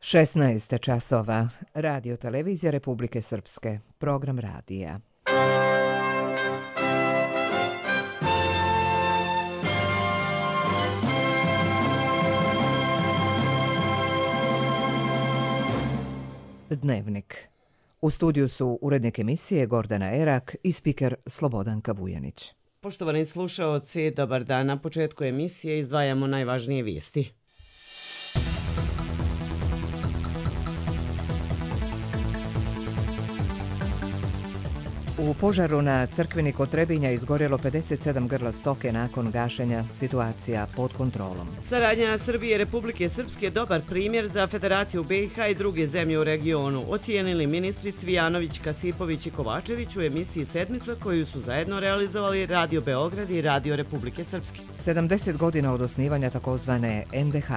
16 časova. Radio televizija Republike Srpske. Program radija. Dnevnik. U studiju su urednik emisije Gordana Erak i spiker Slobodanka Vujanić. Poštovani slušaoci, dobar dan. Na početku emisije izdvajamo najvažnije vijesti. U požaru na crkveni kod Trebinja izgorjelo 57 grla stoke nakon gašenja, situacija pod kontrolom. Saradnja Srbije i Republike Srpske dobar primjer za Federaciju BiH i druge zemlje u regionu, ocijenili ministri Cvijanović, Kasipović i Kovačević u emisiji Sedmica koju su zajedno realizovali Radio Beograd i Radio Republike Srpske. 70 godina od osnivanja takozvane NDH.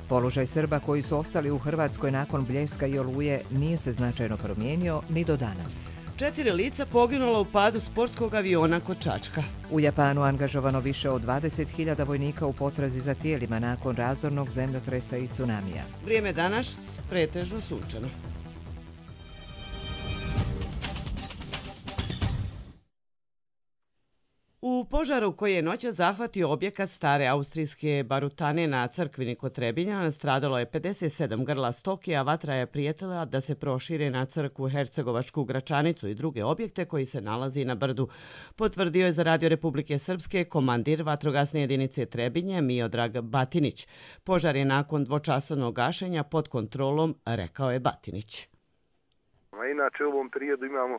Položaj Srba koji su ostali u Hrvatskoj nakon Bljeska i Oluje nije se značajno promijenio ni do danas. 4 lica poginula u padu sportskog aviona kod Čačka. U Japanu angažovano više od 20.000 vojnika u potrazi za tijelima nakon razornog zemljotresa i tsunamija. Vrijeme danas pretežno sunčano. U požaru koji je noćas zahvatio objekat stare austrijske barutane na crkvini kod Trebinja nastradalo je 57 grla stoke, a vatra je prijetila da se prošire na crkvu Hercegovačku Gračanicu i druge objekte koji se nalazi na brdu. Potvrdio je za Radio Republike Srpske komandir vatrogasne jedinice Trebinje Miodrag Batinić. Požar je nakon dvočasovnog gašenja pod kontrolom, rekao je Batinić. Inače u ovom periodu imamo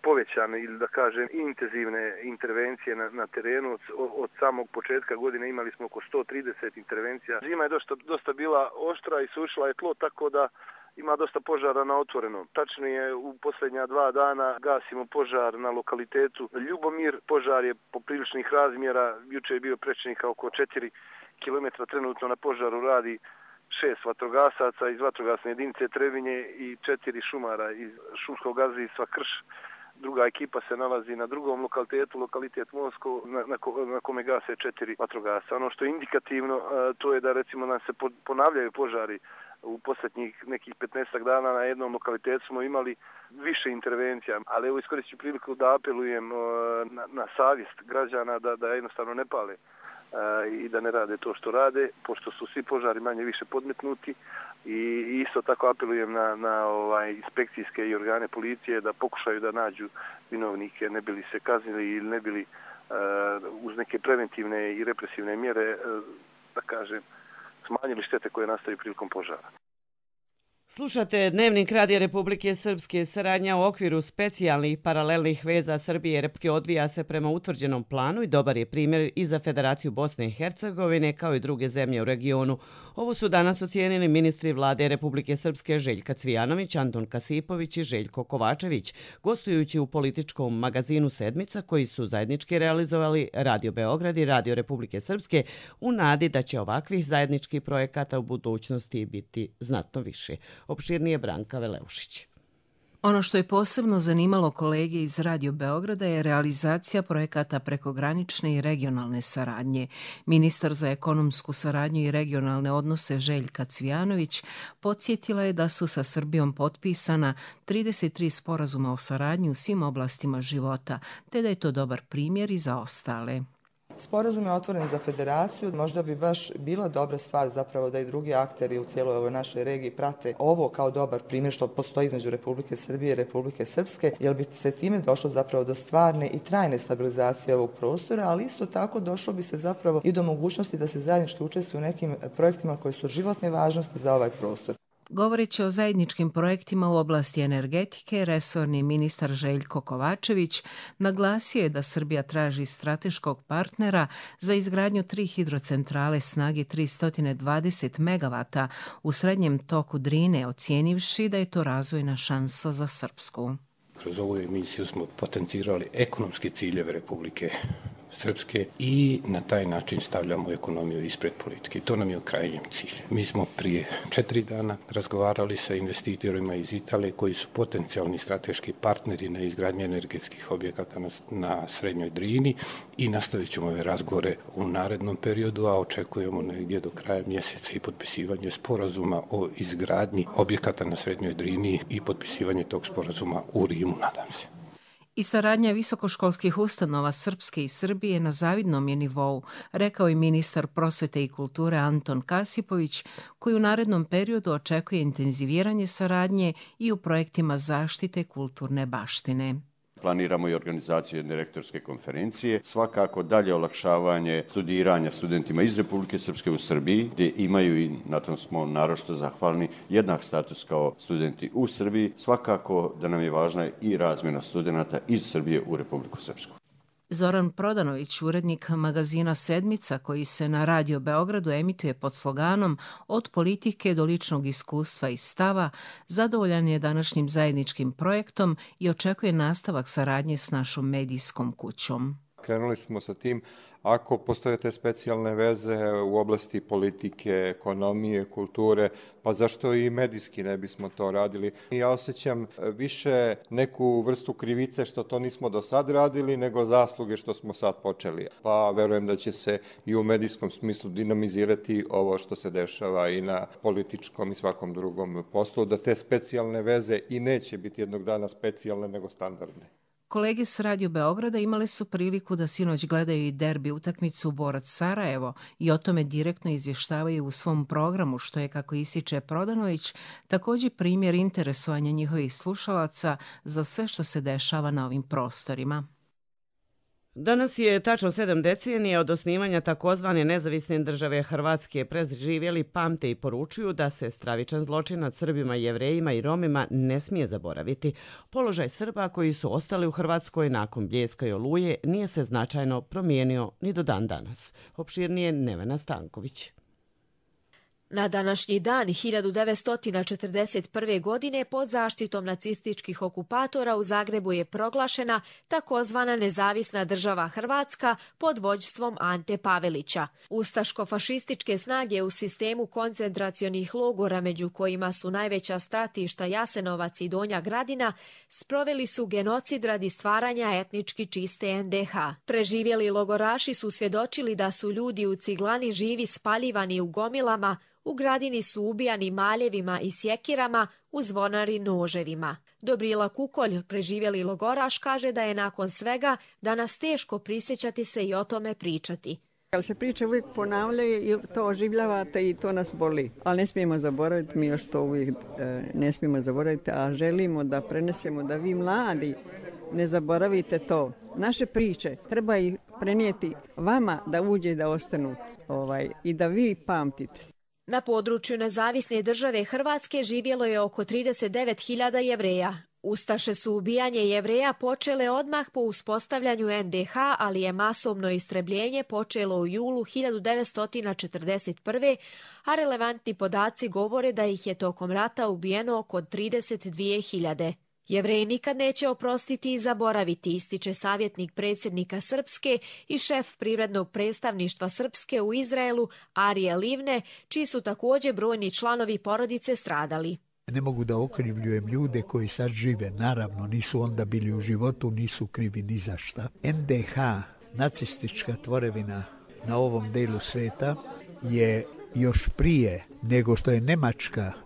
povećane ili da kažem intenzivne intervencije na terenu. Od samog početka godine imali smo oko 130 intervencija. Zima je dosta bila oštra i sušila je tlo, tako da ima dosta požara na otvorenom. Tačnije, u posljednja 2 dana gasimo požar na lokalitetu Ljubomir. Požar je popriličnih razmjera. Juče je bio prečnika oko 4 km. Trenutno na požaru radi 6 vatrogasaca iz vatrogasne jedinice Trebinje i 4 šumara iz šumskog gazdinstva Krš. Druga ekipa se nalazi na drugom lokalitetu, lokalitet Mosko, na kome gase 4 vatrogasca. Ono što je indikativno, to je da recimo nam se ponavljaju požari. U posljednjih nekih 15 dana na jednom lokalitetu smo imali više intervencija, ali evo iskoristim priliku da apelujem na savjest građana da jednostavno ne pale i da ne rade to što rade, pošto su svi požari manje više podmetnuti, i isto tako apelujem na inspekcijske i organe policije da pokušaju da nađu vinovnike, ne bili se kaznili ili ne bili uz neke preventivne i represivne mjere, da kažem, smanjili štete koje nastaju prilikom požara. Slušate Dnevnik Radija Republike Srpske. Saradnja u okviru specijalnih paralelnih veza Srbije i Repske odvija se prema utvrđenom planu i dobar je primjer i za Federaciju Bosne i Hercegovine kao i druge zemlje u regionu. Ovo su danas ocijenili ministri vlade Republike Srpske Željka Cvijanović, Anton Kasipović i Željko Kovačević, gostujući u političkom magazinu Sedmica koji su zajednički realizovali Radio Beograd i Radio Republike Srpske u nadi da će ovakvih zajedničkih projekata u budućnosti biti znatno više. Opširnije Branka Veleušić. Ono što je posebno zanimalo kolege iz Radio Beograda je realizacija projekata prekogranične i regionalne saradnje. Ministar za ekonomsku saradnju i regionalne odnose Željka Cvijanović podsjetila je da su sa Srbijom potpisana 33 sporazuma o saradnji u svim oblastima života, te da je to dobar primjer i za ostale. Sporazum je otvoren za federaciju, možda bi baš bila dobra stvar zapravo da i drugi akteri u cijeloj ovoj našoj regiji prate ovo kao dobar primjer što postoji između Republike Srbije i Republike Srpske, jer bi se time došlo zapravo do stvarne i trajne stabilizacije ovog prostora, ali isto tako došlo bi se zapravo i do mogućnosti da se zajednički učestvuju u nekim projektima koji su životne važnosti za ovaj prostor. Govoreći o zajedničkim projektima u oblasti energetike, resorni ministar Željko Kovačević naglasio je da Srbija traži strateškog partnera za izgradnju 3 hidrocentrale snage 320 MW u srednjem toku Drine, ocijenivši da je to razvojna šansa za Srpsku. Kroz ovu emisiju smo potencirali ekonomske ciljeve Republike Srpske i na taj način stavljamo ekonomiju ispred politike. To nam je krajnji cilj. Mi smo prije 4 dana razgovarali sa investitorima iz Italije koji su potencijalni strateški partneri na izgradnji energetskih objekata na Srednjoj Drini i nastavit ćemo ove razgovore u narednom periodu, a očekujemo negdje do kraja mjeseca i potpisivanje sporazuma o izgradnji objekata na Srednjoj Drini i potpisivanje tog sporazuma u Rimu, nadam se. I saradnja visokoškolskih ustanova Srpske i Srbije na zavidnom je nivou, rekao i ministar prosvete i kulture Anton Kasipović, koji u narednom periodu očekuje intenziviranje saradnje i u projektima zaštite kulturne baštine. Planiramo i organizaciju jedne rektorske konferencije, svakako dalje olakšavanje studiranja studentima iz Republike Srpske u Srbiji, gdje imaju i na tom smo naročito zahvalni jednak status kao studenti u Srbiji, svakako da nam je važna i razmjena studenata iz Srbije u Republiku Srpsku. Zoran Prodanović, urednik magazina Sedmica, koji se na Radio Beogradu emituje pod sloganom Od politike do ličnog iskustva i stava, zadovoljan je današnjim zajedničkim projektom i očekuje nastavak saradnje s našom medijskom kućom. Krenuli smo sa tim, ako postoje te specijalne veze u oblasti politike, ekonomije, kulture, pa zašto i medijski ne bismo to radili? Ja osjećam više neku vrstu krivice što to nismo do sad radili, nego zasluge što smo sad počeli. Pa verujem da će se i u medijskom smislu dinamizirati ovo što se dešava i na političkom i svakom drugom poslu, da te specijalne veze i neće biti jednog dana specijalne, nego standardne. Kolege s Radio Beograda imale su priliku da sinoć gledaju i derbi utakmicu Borac-Sarajevo i o tome direktno izvještavaju u svom programu, što je, kako ističe Prodanović, također primjer interesovanja njihovih slušalaca za sve što se dešava na ovim prostorima. Danas je tačno 7 decenija od osnivanja takozvane nezavisne države Hrvatske. Preživjeli pamte i poručuju da se stravičan zločin nad Srbima, Jevrejima i Romima ne smije zaboraviti. Položaj Srba koji su ostali u Hrvatskoj nakon Bljeska i Oluje nije se značajno promijenio ni do dan danas. Opširnije Nevena Stanković. Na današnji dan 1941. godine pod zaštitom nacističkih okupatora u Zagrebu je proglašena takozvana nezavisna država Hrvatska pod vođstvom Ante Pavelića. Ustaško-fašističke snage u sistemu koncentracionih logora, među kojima su najveća stratišta Jasenovac i Donja Gradina, sproveli su genocid radi stvaranja etnički čiste NDH. Preživjeli logoraši su svjedočili da su ljudi u Ciglani živi spaljivani u gomilama, u Gradini su ubijani maljevima i sjekirama, u Zvonari noževima. Dobrila Kukolj, preživjeli logoraš, kaže da je nakon svega danas teško prisjećati se i o tome pričati. Ali se priče uvijek ponavljaju i to oživljavate i to nas boli. Ali ne smijemo zaboraviti, mi još to uvijek ne smijemo zaboraviti, a želimo da prenesemo da vi mladi ne zaboravite to. Naše priče treba ih prenijeti vama da uđe i da ostanu i da vi pamtite. Na području nezavisne države Hrvatske živjelo je oko 39.000 Jevreja. Ustaše su ubijanje Jevreja počele odmah po uspostavljanju NDH, ali je masovno istrebljenje počelo u julu 1941. a relevantni podaci govore da ih je tokom rata ubijeno oko 32.000. Jevreji nikad neće oprostiti i zaboraviti, ističe savjetnik predsjednika Srpske i šef privrednog predstavništva Srpske u Izraelu Arije Livne, čiji su također brojni članovi porodice stradali. Ne mogu da okrivljujem ljude koji sad žive, naravno nisu onda bili u životu, nisu krivi ni za šta. NDH, nacistička tvorevina na ovom delu sveta, je još prije nego što je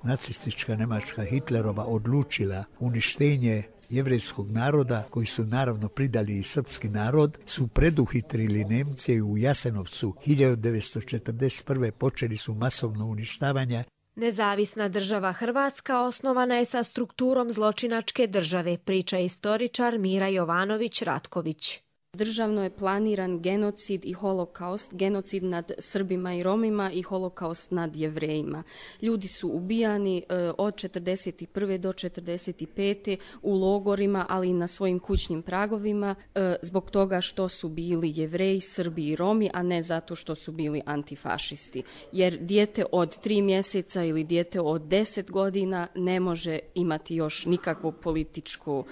nacistička Njemačka Hitlerova odlučila uništenje jevrejskog naroda, koji su naravno pridali i srpski narod, su preduhitrili Nemce u Jasenovcu 1941. počeli su masovno uništavanje. Nezavisna država Hrvatska osnovana je sa strukturom zločinačke države, priča istoričar Mira Jovanović-Ratković. Državno je planiran genocid i holokaust, genocid nad Srbima i Romima i holokaust nad Jevrejima. Ljudi su ubijani od 1941. do 1945. u logorima, ali i na svojim kućnim pragovima, zbog toga što su bili Jevreji, Srbi i Romi, a ne zato što su bili antifašisti. Jer dijete od 3 mjeseca ili dijete od 10 godina ne može imati još nikakvu političku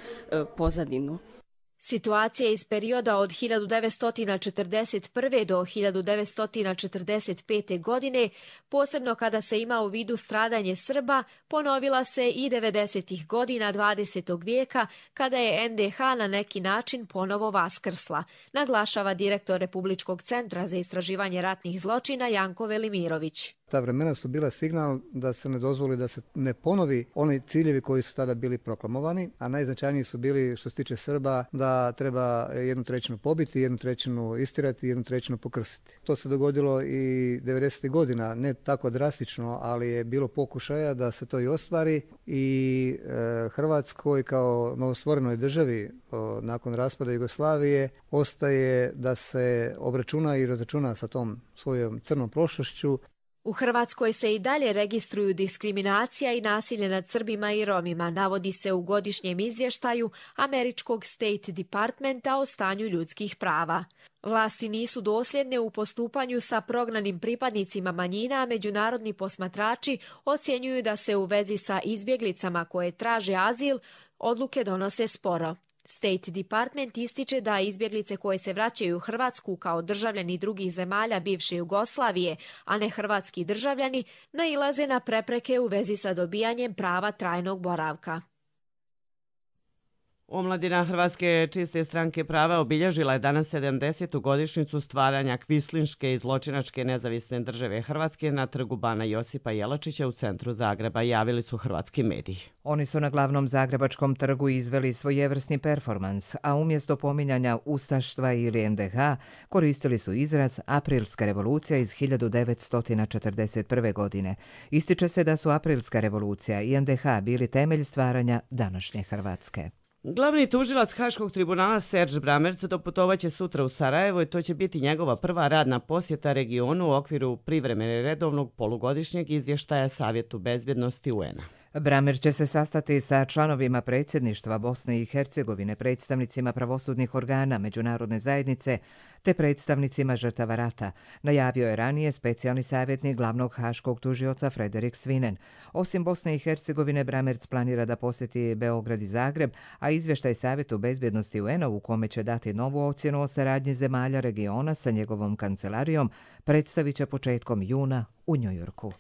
pozadinu. Situacija iz perioda od 1941. do 1945. godine, posebno kada se ima u vidu stradanje Srba, ponovila se i 90. godina 20. vijeka kada je NDH na neki način ponovo vaskrsla, naglašava direktor Republičkog centra za istraživanje ratnih zločina Janko Velimirović. Ta vremena su bila signal da se ne dozvoli da se ne ponovi oni ciljevi koji su tada bili proklamovani, a najznačajniji su bili što se tiče Srba da treba 1/3 pobiti, 1/3 istirati, 1/3 pokrsiti. To se dogodilo i 90. godina, ne tako drastično, ali je bilo pokušaja da se to i ostvari i Hrvatskoj kao novostvorenoj državi nakon raspada Jugoslavije ostaje da se obračuna i razračuna sa tom svojom crnom prošlošću. U Hrvatskoj se i dalje registruju diskriminacija i nasilje nad Srbima i Romima, navodi se u godišnjem izvještaju Američkog State Departmenta o stanju ljudskih prava. Vlasti nisu dosljedne u postupanju sa prognanim pripadnicima manjina, a međunarodni posmatrači ocjenjuju da se u vezi sa izbjeglicama koje traže azil odluke donose sporo. State Department ističe da izbjeglice koje se vraćaju u Hrvatsku kao državljani drugih zemalja bivše Jugoslavije, a ne hrvatski državljani, nailaze na prepreke u vezi sa dobijanjem prava trajnog boravka. Omladina Hrvatske čiste stranke prava obilježila je danas 70. godišnjicu stvaranja kvislinške i zločinačke nezavisne države Hrvatske na trgu Bana Josipa Jelačića u centru Zagreba, javili su hrvatski mediji. Oni su na glavnom zagrebačkom trgu izveli svojevrsni performans, a umjesto pominjanja ustaštva ili NDH koristili su izraz Aprilska revolucija iz 1941. godine. Ističe se da su Aprilska revolucija i NDH bili temelj stvaranja današnje Hrvatske. Glavni tužilac Haškog tribunala Serge Bramerc doputovaće sutra u Sarajevo i to će biti njegova prva radna posjeta regionu u okviru privremene redovnog polugodišnjeg izvještaja Savjetu bezbjednosti UN-a. Bramerc će se sastati sa članovima predsjedništva Bosne i Hercegovine, predstavnicima pravosudnih organa međunarodne zajednice te predstavnicima žrtava rata, najavio je ranije specijalni savjetnik glavnog haškog tužioca Frederik Svinen. Osim Bosne i Hercegovine, Bramerc planira da posjeti Beograd i Zagreb, a izvještaj Savjetu bezbjednosti UN-a u kome će dati novu ocjenu o saradnji zemalja regiona sa njegovom kancelarijom predstavit će početkom juna u Njujorku.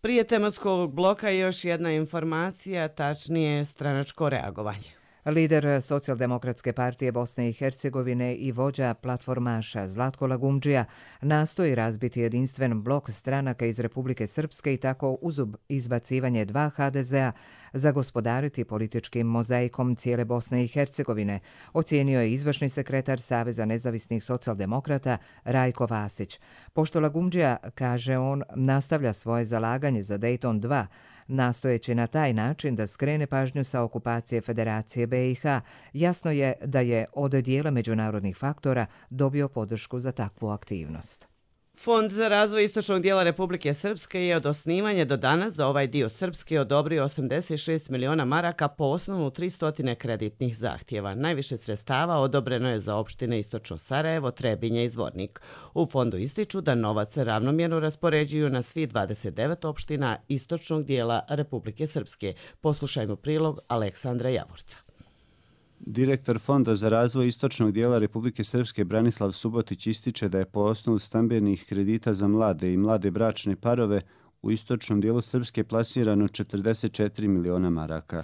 Prije tematskog bloka još jedna informacija, tačnije stranačko reagovanje. Lider Socijaldemokratske partije Bosne i Hercegovine i vođa platformaša Zlatko Lagumdžija nastoji razbiti jedinstven blok stranaka iz Republike Srpske i tako uz izbacivanje 2 HDZ-a zagospodariti političkim mozaikom cijele Bosne i Hercegovine, ocijenio je izvršni sekretar Saveza nezavisnih socijaldemokrata Rajko Vasić. Pošto Lagumdžija, kaže on, nastavlja svoje zalaganje za Dayton 2, nastojeći na taj način da skrene pažnju sa okupacije Federacije BiH, jasno je da je od dijela međunarodnih faktora dobio podršku za takvu aktivnost. Fond za razvoj istočnog dijela Republike Srpske je od osnivanja do danas za ovaj dio Srpske odobrio 86 miliona maraka po osnovu 300 kreditnih zahtjeva. Najviše sredstava odobreno je za opštine Istočno Sarajevo, Trebinje i Zvornik. U fondu ističu da novac ravnomjerno raspoređuju na svi 29 opština istočnog dijela Republike Srpske. Poslušajmo prilog Aleksandra Javorca. Direktor Fonda za razvoj istočnog dijela Republike Srpske Branislav Subotić ističe da je po osnovu stambenih kredita za mlade i mlade bračne parove u istočnom dijelu Srpske plasirano 44 miliona maraka.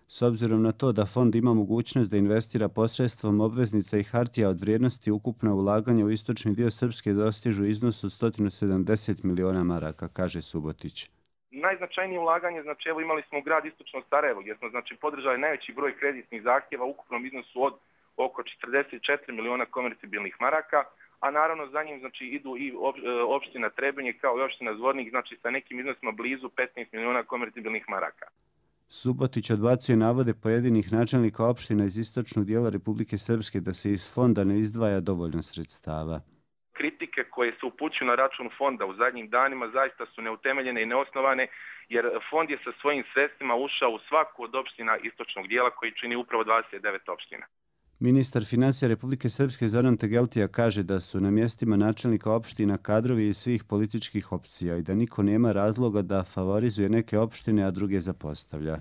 S obzirom na to da fond ima mogućnost da investira posredstvom obveznica i hartija od vrijednosti, ukupna ulaganja u istočni dio Srpske dostižu iznos od 170 miliona maraka, kaže Subotić. Najznačajnije ulaganje, znači evo imali smo u grad Istočno Sarajevo gdje smo znači podržali najveći broj kreditnih zahtjeva u ukupnom iznosu od oko 44 miliona konvertibilnih maraka, a naravno za njim znači idu i opština Trebinje kao i opština Zvornik, znači sa nekim iznosima blizu 15 miliona konvertibilnih maraka. Subotić odbacuje navode pojedinih načelnika opština iz istočnog dijela Republike Srpske da se iz fonda ne izdvaja dovoljno sredstava. Kritike koje se upućuju na račun fonda u zadnjim danima zaista su neutemeljene i neosnovane, jer fond je sa svojim sredstvima ušao u svaku od opština istočnog dijela koji čini upravo 29 opština. Ministar financija Republike Srpske Zoran Tegeltija kaže da su na mjestima načelnika opština kadrovi iz svih političkih opcija i da niko nema razloga da favorizuje neke opštine, a druge zapostavlja.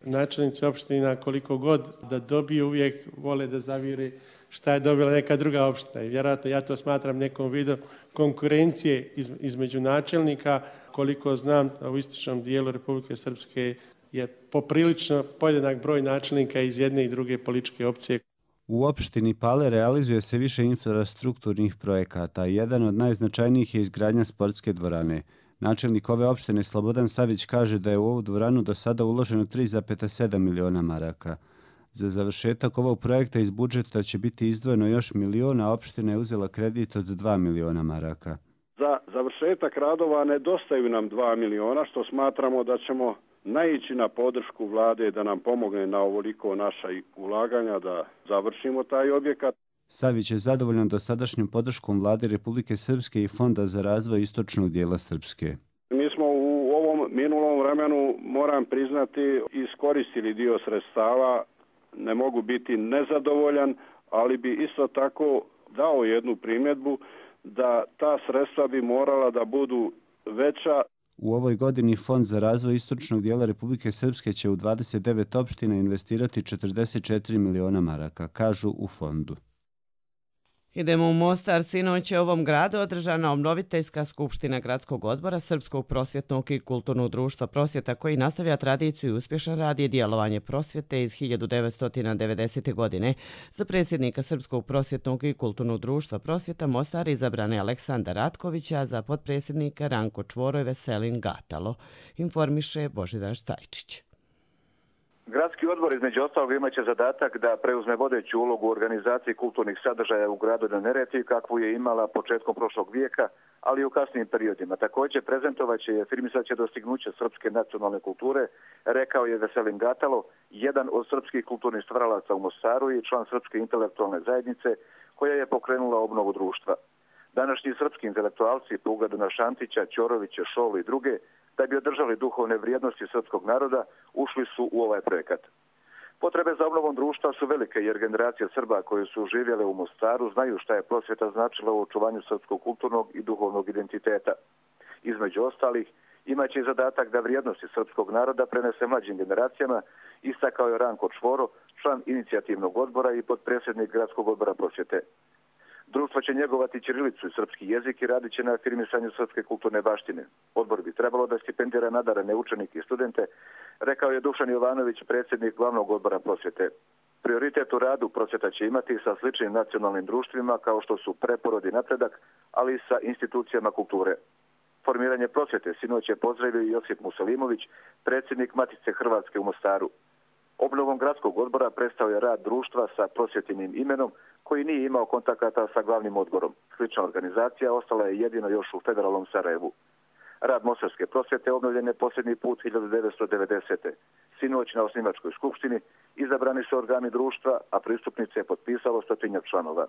Načelnici opština koliko god da dobiju uvijek vole da zavire šta je dobila neka druga opština. I vjerojatno ja to smatram nekom vidu konkurencije između načelnika. Koliko znam, u istočnom dijelu Republike Srpske je poprilično podjednak broj načelnika iz jedne i druge političke opcije. U opštini Pale realizuje se više infrastrukturnih projekata. Jedan od najznačajnijih je izgradnja sportske dvorane. Načelnik ove opštine Slobodan Savić kaže da je u ovu dvoranu do sada uloženo 3,7 miliona maraka. Za završetak ovog projekta iz budžeta će biti izdvojeno još milion, a opština je uzela kredit od 2 miliona maraka. Za završetak radova nedostaju nam 2 miliona, što smatramo da ćemo naići na podršku vlade da nam pomogne na ovoliko naša ulaganja da završimo taj objekat. Savić je zadovoljan dosadašnjom podrškom vlade Republike Srpske i Fonda za razvoj istočnog dijela Srpske. Mi smo u ovom minulom vremenu, moram priznati, iskoristili dio sredstava. Ne mogu biti nezadovoljan, ali bi isto tako dao jednu primjedbu da ta sredstva bi morala da budu veća. U ovoj godini Fond za razvoj istočnog dijela Republike Srpske će u 29 opština investirati 44 miliona maraka, kažu u fondu. Idemo u Mostar. Sinoć je u ovom gradu održana obnoviteljska skupština Gradskog odbora Srpskog prosvjetnog i kulturnog društva Prosvjeta, koji nastavlja tradiciju i uspješan rad i djelovanje prosvjete iz 1990. godine. Za predsjednika Srpskog prosvjetnog i kulturnog društva Prosvjeta Mostar izabran je Aleksandar Ratković, a za potpredsjednika Ranko Čvoro i Veselin Gatalo, informiše Božidar Stajčić. Gradski odbor između ostalog imaće zadatak da preuzme vodeću ulogu u organizaciji kulturnih sadržaja u gradu na Neretvi, kakvu je imala početkom prošlog vijeka, ali i u kasnijim periodima. Također prezentovaće i afirmisaće dostignuće srpske nacionalne kulture, rekao je Veselin Gatalo, jedan od srpskih kulturnih stvaralaca u Mostaru i član Srpske intelektualne zajednice koja je pokrenula obnovu društva. Današnji srpski intelektualci, po ugledu na Šantića, Ćorovića, Šolu i druge, da bi održali duhovne vrijednosti srpskog naroda, ušli su u ovaj projekat. Potrebe za obnovom društva su velike jer generacije Srba koji su živjele u Mostaru znaju šta je prosvjeta značila u očuvanju srpskog kulturnog i duhovnog identiteta. Između ostalih, imaće i zadatak da vrijednosti srpskog naroda prenese mlađim generacijama, istakao je Ranko Čvoro, član inicijativnog odbora i potpredsjednik Gradskog odbora prosvjete. Društvo će njegovati ćirilicu i srpski jezik i radit će na afirmisanju srpske kulturne baštine. Odbor bi trebalo da stipendira nadarene učenike i studente, rekao je Dušan Jovanović, predsjednik glavnog odbora prosvjete. Prioritet u radu prosvjeta će imati sa sličnim nacionalnim društvima kao što su Preporod i Napredak, ali i sa institucijama kulture. Formiranje prosvjete sinoć je pozdravio i Josip Musalimović, predsjednik Matice Hrvatske u Mostaru. Obnovom gradskog odbora prestao je rad društva sa prosvjetinim imenom koji nije imao kontakata sa glavnim odborom. Slična organizacija ostala je jedino još u federalnom Sarajevu. Rad Mostarske prosvjete obnovljen je posljednji put 1990. Sinoć na osnivačkoj skupštini izabrani su organi društva, a pristupnice je potpisalo 100 članova.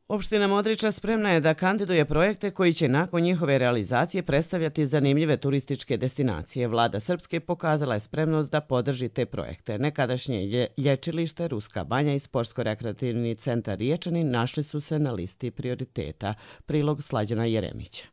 Opština Modriča spremna je da kandiduje projekte koji će nakon njihove realizacije predstavljati zanimljive turističke destinacije. Vlada Srpske pokazala je spremnost da podrži te projekte. Nekadašnje lječilište, Ruska banja i sportsko-rekreativni centar Riječani našli su se na listi prioriteta. Prilog Slađana Jeremića.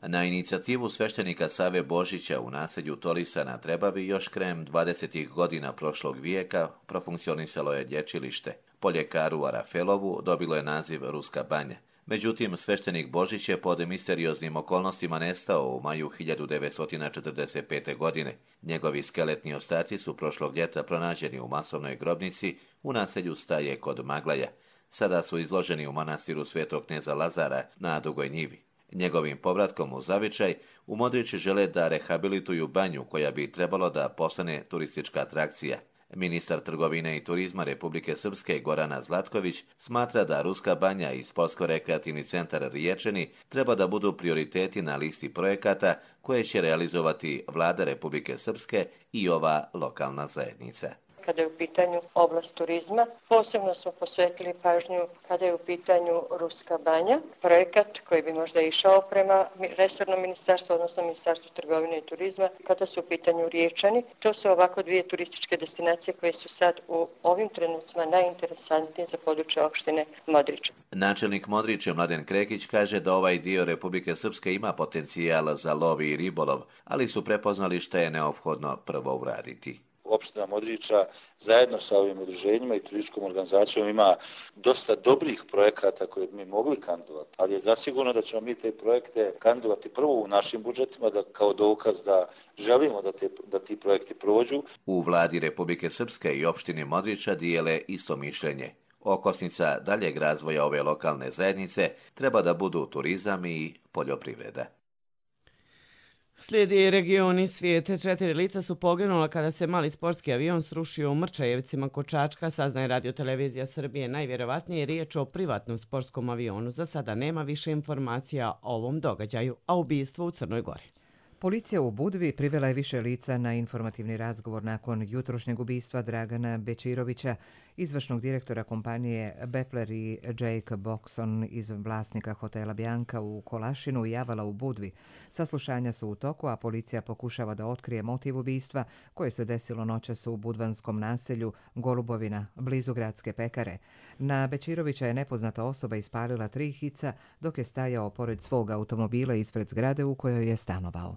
Na inicijativu sveštenika Save Božića u naselju Torisa na Trebavi još krajem 20. godina prošlog vijeka profunkcionisalo je lječilište. Po ljekaru Arafelovu dobilo je naziv Ruska banja. Međutim, sveštenik Božić je pod misterioznim okolnostima nestao u maju 1945. godine. Njegovi skeletni ostaci su prošlog ljeta pronađeni u masovnoj grobnici u naselju Staje kod Maglaja. Sada su izloženi u manastiru Svetog kneza Lazara na Dugoj njivi. Njegovim povratkom u zavičaj u Modriči žele da rehabilituju banju koja bi trebalo da postane turistička atrakcija. Ministar trgovine i turizma Republike Srpske Gorana Zlatković smatra da Ruska banja i sportsko-rekreativni centar Riječani treba da budu prioriteti na listi projekata koje će realizovati Vlada Republike Srpske i ova lokalna zajednica. kada je u pitanju oblast turizma. Posebno smo posvetili pažnju kada je u pitanju Ruska banja, projekat koji bi možda išao prema resornom ministarstvu, odnosno Ministarstvu trgovine i turizma, kada su u pitanju Riječani. To su ovako dvije turističke destinacije koje su sad u ovim trenucima najinteresantnije za područje opštine Modrič. Načelnik Modriče Mladen Krekić kaže da ovaj dio Republike Srpske ima potencijal za lov i ribolov, ali su prepoznali šta je neophodno prvo uraditi. Opština Modriča zajedno sa ovim udruženjima i turističkom organizacijom ima dosta dobrih projekata koje bi mi mogli kandidovati, ali je zasigurno da ćemo mi te projekte kandidovati prvo u našim budžetima kao dokaz da želimo da ti projekti prođu. U vladi Republike Srpske i opštini Modriča dijele isto mišljenje. Okosnica daljeg razvoja ove lokalne zajednice treba da budu turizam i poljoprivreda. Slijedi regioni svijete. 4 lica su poginula kada se mali sportski avion srušio u Mrčajevcima kod Čačka, saznaje Radio-televizija Srbije. Najvjerovatnije je riječ o privatnom sportskom avionu. Za sada nema više informacija o ovom događaju, a ubistvo u Crnoj Gori. Policija u Budvi privela je više lica na informativni razgovor nakon jutrošnjeg ubistva Dragana Bečirovića, izvršnog direktora kompanije Bepler i Jake Boxon iz vlasnika hotela Bjanka u Kolašinu i Avala u Budvi. Saslušanja su u toku, a policija pokušava da otkrije motiv ubistva koje se desilo noćas u budvanskom naselju Golubovina, blizu gradske pekare. Na Bečirovića je nepoznata osoba ispalila 3 hica dok je stajao pored svog automobila ispred zgrade u kojoj je stanovao.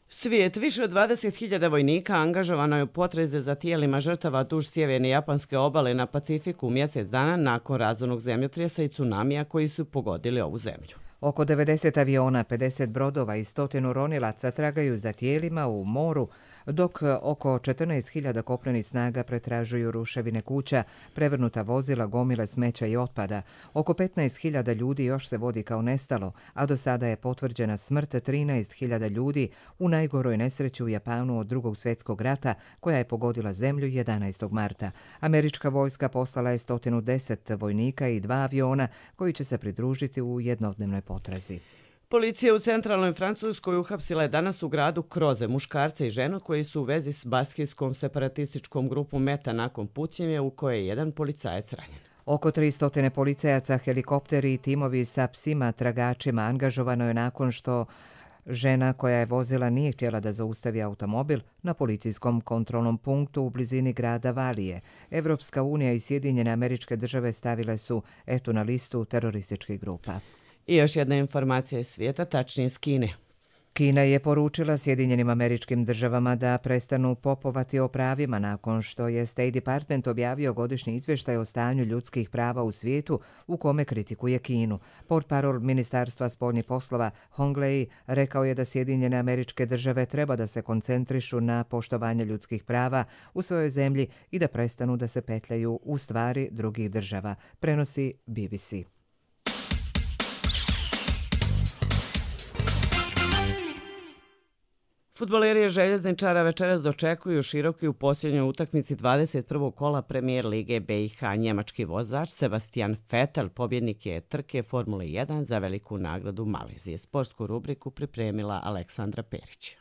Svijet, više od 20.000 vojnika angažovano je u potrazi za tijelima žrtava duž sjeverne japanske obale na Pacifiku mjesec dana nakon razornog zemljotresa i tsunamija koji su pogodili ovu zemlju. Oko 90 aviona, 50 brodova i 100 ronilaca tragaju za tijelima u moru, dok oko 14.000 kopnenih snaga pretražuju ruševine kuća, prevrnuta vozila, gomile smeća i otpada. Oko 15.000 ljudi još se vodi kao nestalo, a do sada je potvrđena smrt 13.000 ljudi u najgoroj nesreći u Japanu od Drugog svjetskog rata, koja je pogodila zemlju 11. marta. Američka vojska poslala je 110 vojnika i 2 aviona koji će se pridružiti u jednodnevnoj potrazi. Policija u centralnoj Francuskoj uhapsila je danas u gradu Kroze muškarca i ženu koji su u vezi s baskijskom separatističkom grupom Meta nakon pucnjeve u kojoj je jedan policajac ranjen. Oko 300 policajaca, helikopteri i timovi sa psima tragačima angažovano je nakon što žena koja je vozila nije htjela da zaustavi automobil na policijskom kontrolnom punktu u blizini grada Valije. Evropska unija i Sjedinjene Američke Države stavile su etu na listu terorističkih grupa. I još jedna informacija iz svijeta, tačnije iz Kine. Kina je poručila Sjedinjenim Američkim Državama da prestanu popovati o pravima nakon što je State Department objavio godišnji izvještaj o stanju ljudskih prava u svijetu u kome kritikuje Kinu. Portparol Ministarstva spoljnih poslova Hong Lei rekao je da Sjedinjene Američke Države treba da se koncentrišu na poštovanje ljudskih prava u svojoj zemlji i da prestanu da se petljaju u stvari drugih država, prenosi BBC. Fudbaleri Željezničara večeras dočekuju Široki u posljednjoj utakmici 21. kola Premier Lige BiH. Njemački vozač Sebastian Vettel pobjednik je trke Formule 1 za veliku nagradu Malezije. Sportsku rubriku pripremila Aleksandra Perić.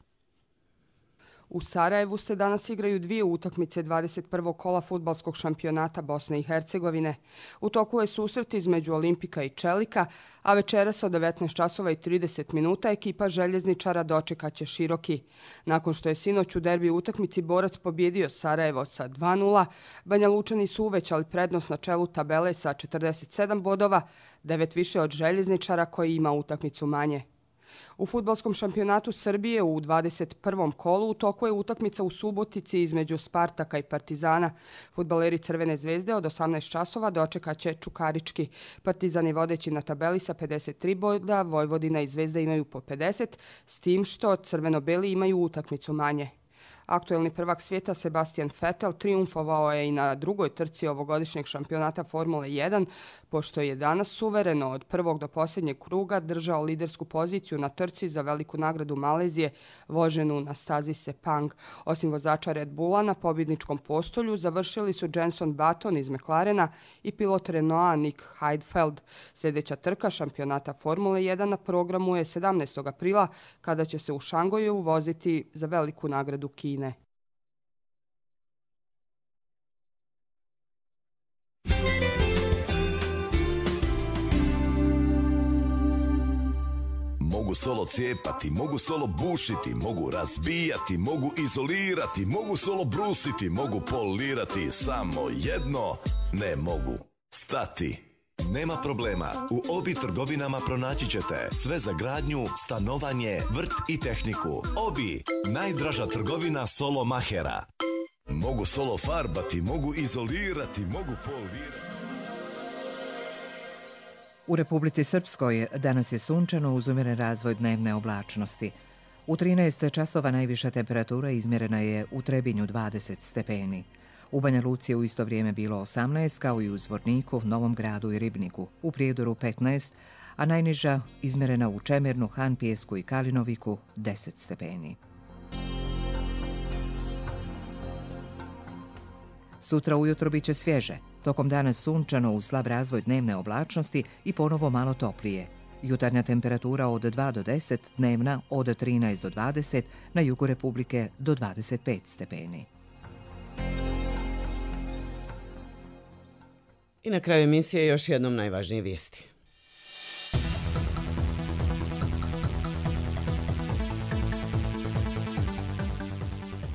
U Sarajevu se danas igraju 2 utakmice 21. kola fudbalskog šampionata Bosne i Hercegovine. U toku je susret između Olimpika i Čelika, a večeras od 19:30 ekipa Željezničara dočekaće Široki. Nakon što je sinoć u derbi utakmici Borac pobjedio Sarajevo sa 2:0, Banja Lučani su uvećali prednost na čelu tabele sa 47 bodova, 9 više od Željezničara koji ima utakmicu manje. U fudbalskom šampionatu Srbije u 21. kolu u toku je utakmica u Subotici između Spartaka i Partizana. Fudbaleri Crvene zvezde od 18 časova dočekaće Čukarički. Partizan je vodeći na tabeli sa 53 boda, Vojvodina i Zvezda imaju po 50, s tim što crveno-beli imaju utakmicu manje. Aktuelni prvak svijeta Sebastian Vettel triumfovao je i na drugoj trci ovogodišnjeg šampionata Formule 1, pošto je danas suvereno od prvog do posljednjeg kruga držao lidersku poziciju na trci za veliku nagradu Malezije, voženu na stazi Sepang. Osim vozača Red Bulla, na pobjedničkom postolju završili su Jenson Button iz McLarena i pilot Renaulta Nick Heidfeld. Sljedeća trka šampionata Formule 1 na programu je 17. aprila, kada će se u Šangoju voziti za veliku nagradu Kine. mogu solo cijepati, mogu solo bušiti, mogu razbijati, mogu izolirati, mogu solo brusiti, mogu polirati, samo jedno ne mogu stati. Nema problema, u Obi trgovinama pronaći ćete sve za gradnju, stanovanje, vrt i tehniku. Obi, najdraža trgovina solo mahera. Mogu solo farbati, mogu izolirati, mogu polirati. U Republici Srpskoj danas je sunčano uz umjeren razvoj dnevne oblačnosti. U 13 časova najviša temperatura izmjerena je u Trebinju 20 stepeni. U Banja Luci je u isto vrijeme bilo 18, kao i u Zvorniku, Novom Gradu i Ribniku, u Prijedoru 15, a najniža izmjerena u Čemernu, Hanpijesku i Kalinoviku 10 stepeni. Sutra ujutro bit će svježe, tokom dana sunčano uz slab razvoj dnevne oblačnosti i ponovo malo toplije. Jutarnja temperatura od 2 do 10, dnevna od 13 do 20, na jugu Republike do 25 stepeni. I na kraju emisije još jednom najvažnije vijesti.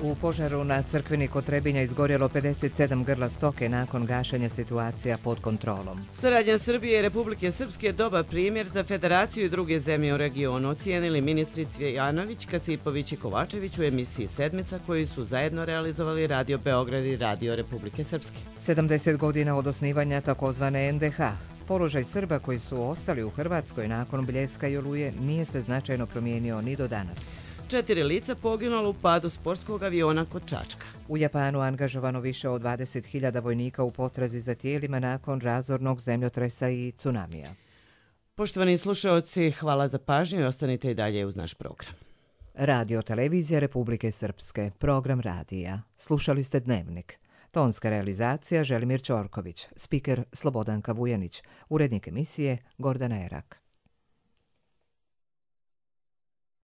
U požaru na crkveni kod Trebinja izgorjelo 57 grla stoke nakon gašenja situacija pod kontrolom. Saradnja Srbije i Republike Srpske je dobar primjer za Federaciju i druge zemlje u regionu, ocijenili ministri Cvijanović, Kasipović i Kovačević u emisiji Sedmica, koji su zajedno realizovali Radio Beograd i Radio Republike Srpske. 70 godina od osnivanja takozvane NDH. Položaj Srba koji su ostali u Hrvatskoj nakon Bljeska i Oluje nije se značajno promijenio ni do danas. 4 lica poginulo u padu sportskog aviona kod Čačka. U Japanu angažovano više od 20.000 vojnika u potrazi za tijelima nakon razornog zemljotresa i tsunamija. Poštovani slušaoci, hvala za pažnju i ostanite i dalje uz naš program. Radio Televizija Republike Srpske, program radija. Slušali ste Dnevnik. Tonska realizacija Želimir Ćorković, spiker Slobodanka Vujanić, urednik emisije Gordana Erak.